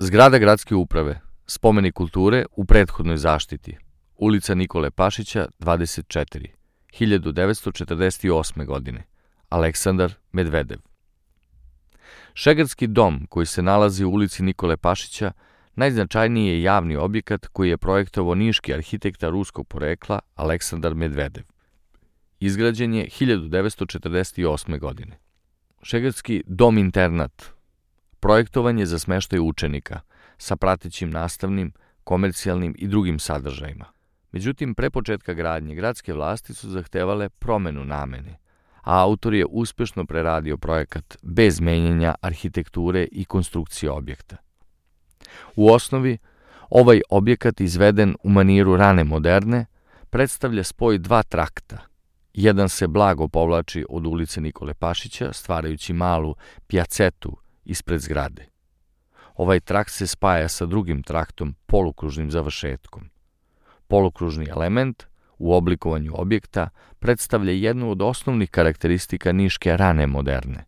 Zgrada gradske uprave, spomenik kulture u prethodnoj zaštiti, ulica Nikole Pašića, 24, 1948. godine, Aleksandar Medvedev. Šegarski dom, koji se nalazi u ulici Nikole Pašića, najznačajniji je javni objekat koji je projektovao niški arhitekta ruskog porekla Aleksandar Medvedev. Izgrađen je 1948. godine. Šegarski dom-internat projektovan je za smeštaj učenika sa pratećim nastavnim, komercijalnim i drugim sadržajima. Međutim, pre početka gradnje gradske vlasti su zahtevale promenu namene, a autor je uspešno preradio projekat bez menjanja arhitekture i konstrukcije objekta. U osnovi, ovaj objekat izveden u maniru rane moderne predstavlja spoj dva trakta. Jedan se blago povlači od ulice Nikole Pašića, stvarajući malu pjacetu ispred zgrade. Ovaj trakt se spaja sa drugim traktom, polukružnim završetkom. Polukružni element u oblikovanju objekta predstavlja jednu od osnovnih karakteristika niške rane moderne.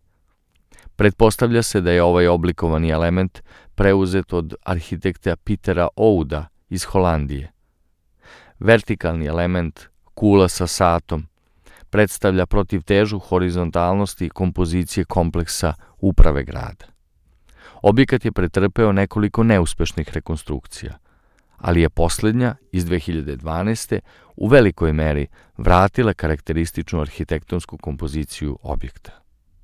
Pretpostavlja se da je ovaj oblikovani element preuzet od arhitekta Petera Ouda iz Holandije. Vertikalni element, kula sa satom, predstavlja protivtežu horizontalnosti kompozicije kompleksa uprave grada. Objekat je pretrpeo nekoliko neuspešnih rekonstrukcija, ali je poslednja iz 2012. u velikoj meri vratila karakterističnu arhitektonsku kompoziciju objekta.